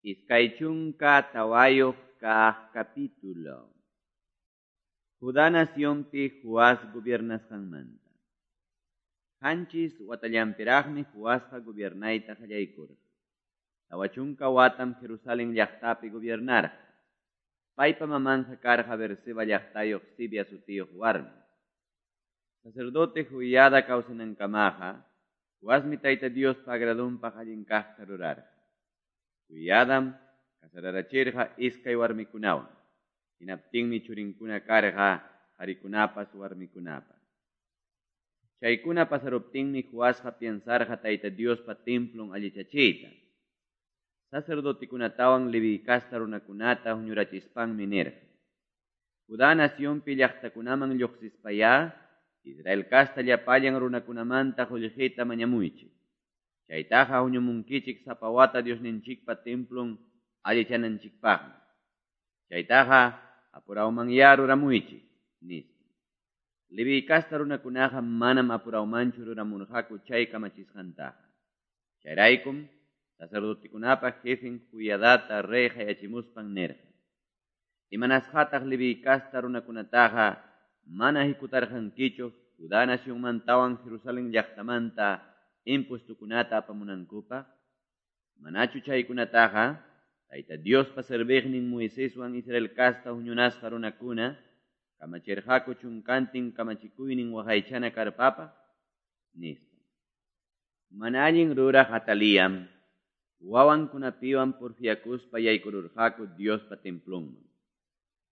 24 kaq capítulo. Judá nacionpi Joás gobiernasqanmanta. 7 watallanpiraqmi Joasqa gobiernayta qallaykurqa. 40 watam Jerusalén llaqtapi gobiernarqa. Paypa mamanqa karqa Berseba llaqtayuq Sibia sutiyuq warmi. Sacerdote Joiada kawsanankamaqa Joasmi Tayta Diospa agradunpaq allin kaqta rurarqa. Joiadam casararachirqa iskay warmikunawan. Hinaptinmi churinkuna karqa qarikunapas warmikunapas. Chaykuna pasaruptinmi Joasqa piensarqa Tayta Diospa templon allichachiyta. Sacerdotikunatawan Leví casta runakunata huñurachispanmi nirqa: Judá nacionpi llaqtakunaman lluqsispayá Israel casta llapallan runakunamanta qullqita mañamuychik. Chaytaqa huñumunkichik sapa wata Diosninchikpa templon allichananchikpaqmi. Chaytaqa apurawmanyá ruramuychik, nispa. Leví casta runakunaqa manam apurawmanchu ruramurqaku chay kamachisqantaqa. Chayraykum sacerdotekunapa jefen Joiadata rey qayachimuspan nirqa: Imanasqataq Leví casta runakunataqa mana hikutarqankichu Judá nacionmantawan Jerusalén llaqtamanta impuestokunata apamunankupaq? Manachu chaykunataqa Tayta Diospa serviqnin Moiseswan Israel casta huñunasqa runakuna kamachirqaku chunkantin kamachikuynin waqaychana karpapaq? Nispa. Mana allin ruraq Atalíam wawankunapiwan porfiakuspa yaykururqaku Diospa templonman.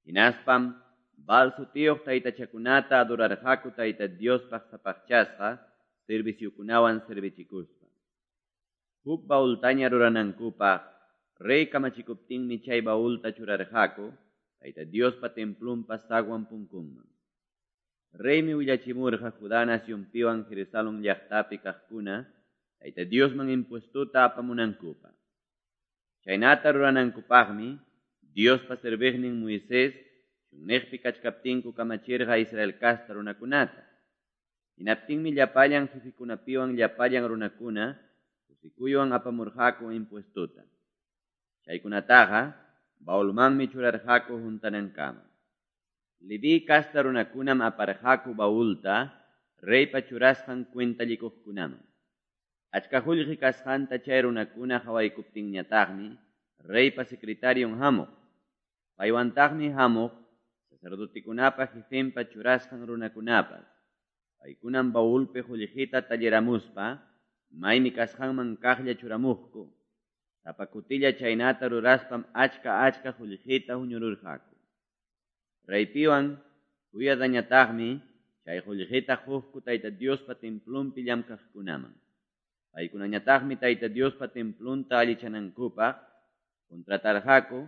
Hinaspam Baal sutiyuq taytachakunata adorarqaku Tayta Diospaq sapaqchasqa serviciokunawan servichikuspa. Huk baultaña ruranankupaq rey kamachikuptinmi chay baulta churarqaku Tayta Diospa templonpa zaguan punkunman. Reymi willachimurqa Judá nacionpiwan Jerusalén llaqtapi kaqkuna Tayta Diosman impuestota apamunankupaq. Chaynata ruranankupaqmi Diospa serviqnin Moisés chunniqpi kachkaptinku kamachirqa Israel casta runakunata. Hinaptinmi llapallan jefekunapiwan llapallan runakuna kusikuywan apamurqaku impuestota. Chaykunataqa baulmanmi churarqaku huntanankama. Leví casta runakunam aparqaku baulta reypa churasqan cuentallikuqkunaman. Achka qullqi kasqanta chay runakuna qawaykuptinñataqmi reypa secretarion hamuq. Paywantaqmi hamuq sacerdotekunapa jefenpa churasqan runakunapas. Paykunam baulpi qullqita talliramuspa maymi kasqanman kaqlla churamuqku. Sapa kutilla chaynata ruraspam achka achka qullqita huñururqaku. Reypiwan Joiadañataqmi chay qullqita quqku Tayta Diospa templonpi llamkaqkunaman. Paykunañataqmi Tayta Diospa templonta allichanankupaq contratarqaku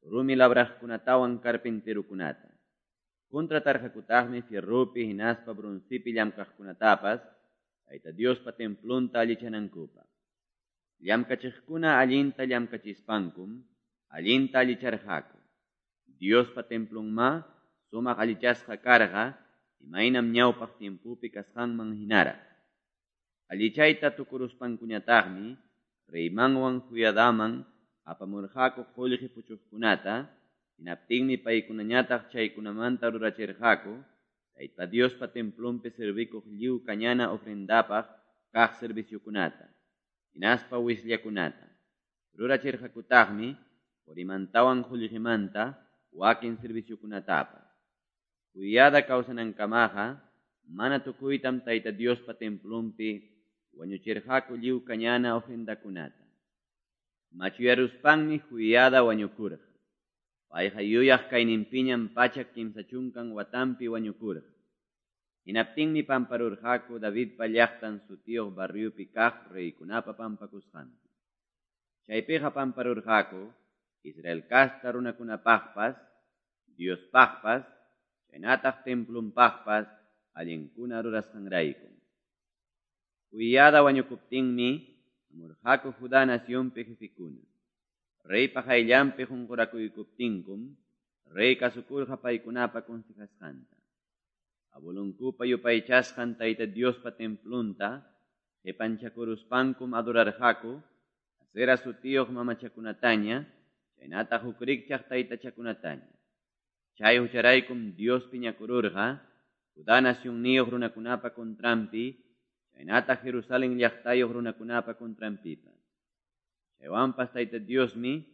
rumi labraqkunatawan carpinterokunata. Contratarqakutaqmi fierropi hinaspa broncepi llamkaqkunatapas Tayta Diospa templonta allichanankupaq. Llamkachiqkuna allinta llamkachispankum allinta allicharqaku. Diospa templonma sumaq allichasqa karqa imaynam ñawpaq tiempopi kasqanman hinaraq. Allichayta tukuruspankuñataqmi reymanwan Joiadaman apamurqaku qullqi puchuqkunata, hinaptinmi paykunañataq chaykunamanta rurachirqaku Tayta Diospa templonpi servikuq lliw kañana ofrendapaq kaq serviciokunata, hinaspa wisllakunata. Rurachirqakutaqmi qurimantawan qullqimanta wakin serviciokunatapas. Joiada kawsanankamaqa mana tukuytam Tayta Diospa templonpi wañuchirqaku lliw kañana ofrendakunata. Machuyaruspanmi Joiada wañukurqa. Payqa yuyaq kayninpiñam 130 watanpi wañukurqa. Hinaptinmi pamparurqaku Davidpa llaqtan sutiyuq barriopi kaq reykunapa pampakusqanpi. Chaypiqa pamparurqaku Israel casta runakunapaqpas, Diospaqpas, chaynataq templonpaqpas allinkuna rurasqanrayku. Joiada wañukuptinmi hamurqaku Judá nacionpi jefekuna. Reypa qayllanpi qunqurakuykustinkum rey kasukurqa paykunapa consejasqanta. Abuelonkupa yupaychasqan Tayta Diospa templonta qipanchakuruspankum adorarqaku Asera sutiyuq mamachakunataña chaynataq huk rikchaq taytachakunataña. Chay hucharaykum Dios piñakururqa Judá nacionniyuq runakunapa contranpi chaynataq Jerusalén llaqtayuq runakunapa contranpipas. Chaywanpas Tayta Diosmi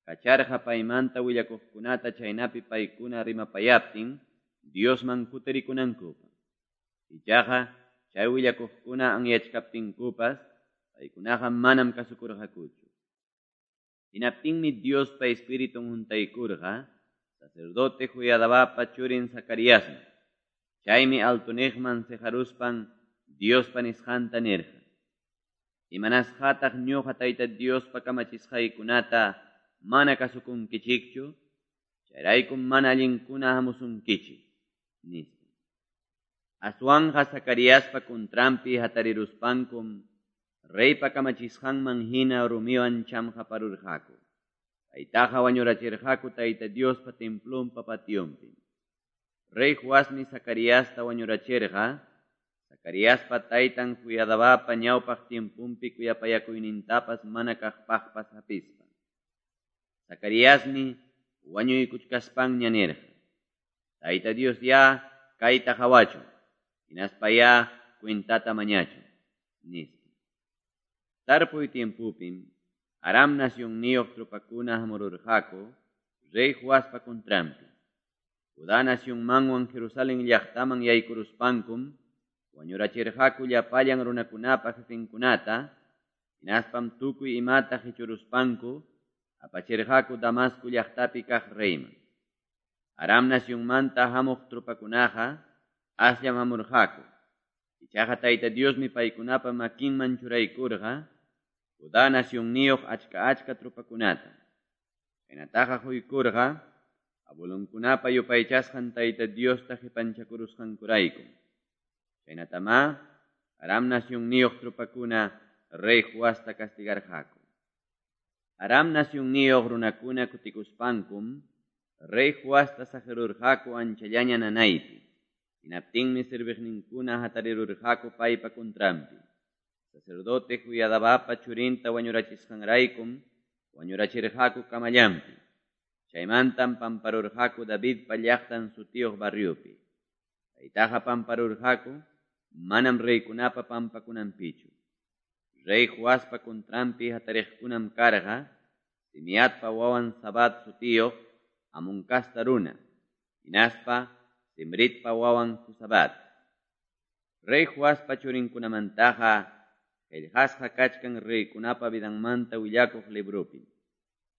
kacharqa paymanta willakuqkunata chaynapi paykuna rimapayaptin Diosman kutirikunankupaq. Ichaqa chay willakuqkuna anyachkaptinkupas paykunaqa manam kasukurqakuchu. Hinaptinmi Diospa Espiritun huntaykurqa sacerdote Joiadabapa churin Zacariasman. Chaymi altoniqman seqaruspan Diospa nisqanta nirqa: Imanasqataq ñuqa Tayta Diospa kamachisqaykunata mana kasukunkichikchu? Chayraykum mana allinkuna hamusunkichik, nispa. Aswanqa Zacariaspa contranpi hatariruspankum reypa kamachisqanman hina rumiwan chamqaparurqaku. Paytaqa wañurachirqaku Tayta Diospa templonpa pationpim. Rey Joasmi Zacariasta wañurachirqa, Zacariaspa taytan Joiadabapa ñawpaq tiemponpi kuyapayakuynintapas mana kaqpaqpas hapispa. Zacariasmi wañuykuchkaspanña nirqa: Tayta Dios ya kayta qawachun, hinaspayá cuentata mañachun, nispa. Tarpuy tiempopim Aram nacionniyuq tropakuna hamururqaku rey Joaspa contranpi. Judá nacionmanwan Jerusalén llaqtaman yaykuruspankum wañurachirqaku llapallan runakunapa jefenkunata, hinaspam tukuy imata qichuruspanku apachirqaku Damasco llaqtapi kaq reyman. Aram nacionmanta hamuq tropakunaqa asllam hamurqaku. Ichaqa Tayta Diosmi paykunapa makinman churaykurqa Judá nacionniyuq achka-achka tropakunata. Chaynataqa quykurqa abuelonkunapa yupaychasqan Tayta Diosta qipanchakurusqankuraykum. Chaynatamá Aram nacionniyuq tropakuna rey Joasta castigarqaku. Aram nacionniyuq runakuna kutikuspankum rey Joasta saqirurqaku anchallaña nanaypi. Hinaptinmi serviqninkuna hatarirurqaku paypa contranpi. Sacerdote Joiadabapa churinta wañurachisqanraykum wañurachirqaku camallanpi. Chaymantam pamparurqaku Davidpa llaqtan sutiyuq barriopi. Paytaqa pamparurqaku manam reykunapa pampakunanpichu. Rey Joaspa contranpi hatariqkunam karqa Simeatpa wawan Zabad sutiyuq Amón casta runa, hinaspa Simritpa wawan Jozabad. Rey Joaspa churinkunamantaqa qillqasqa kachkan reykunapa vidanmanta willakuq libropim.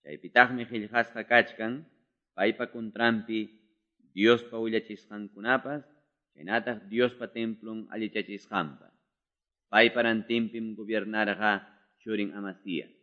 Chaypitaqmi qillqasqa kachkan paypa contranpi Diospa willachisqankunapas chaynataq Diospa templon allichachisqanpas. Paypa rantinpim gobiernarqa churin Amasías.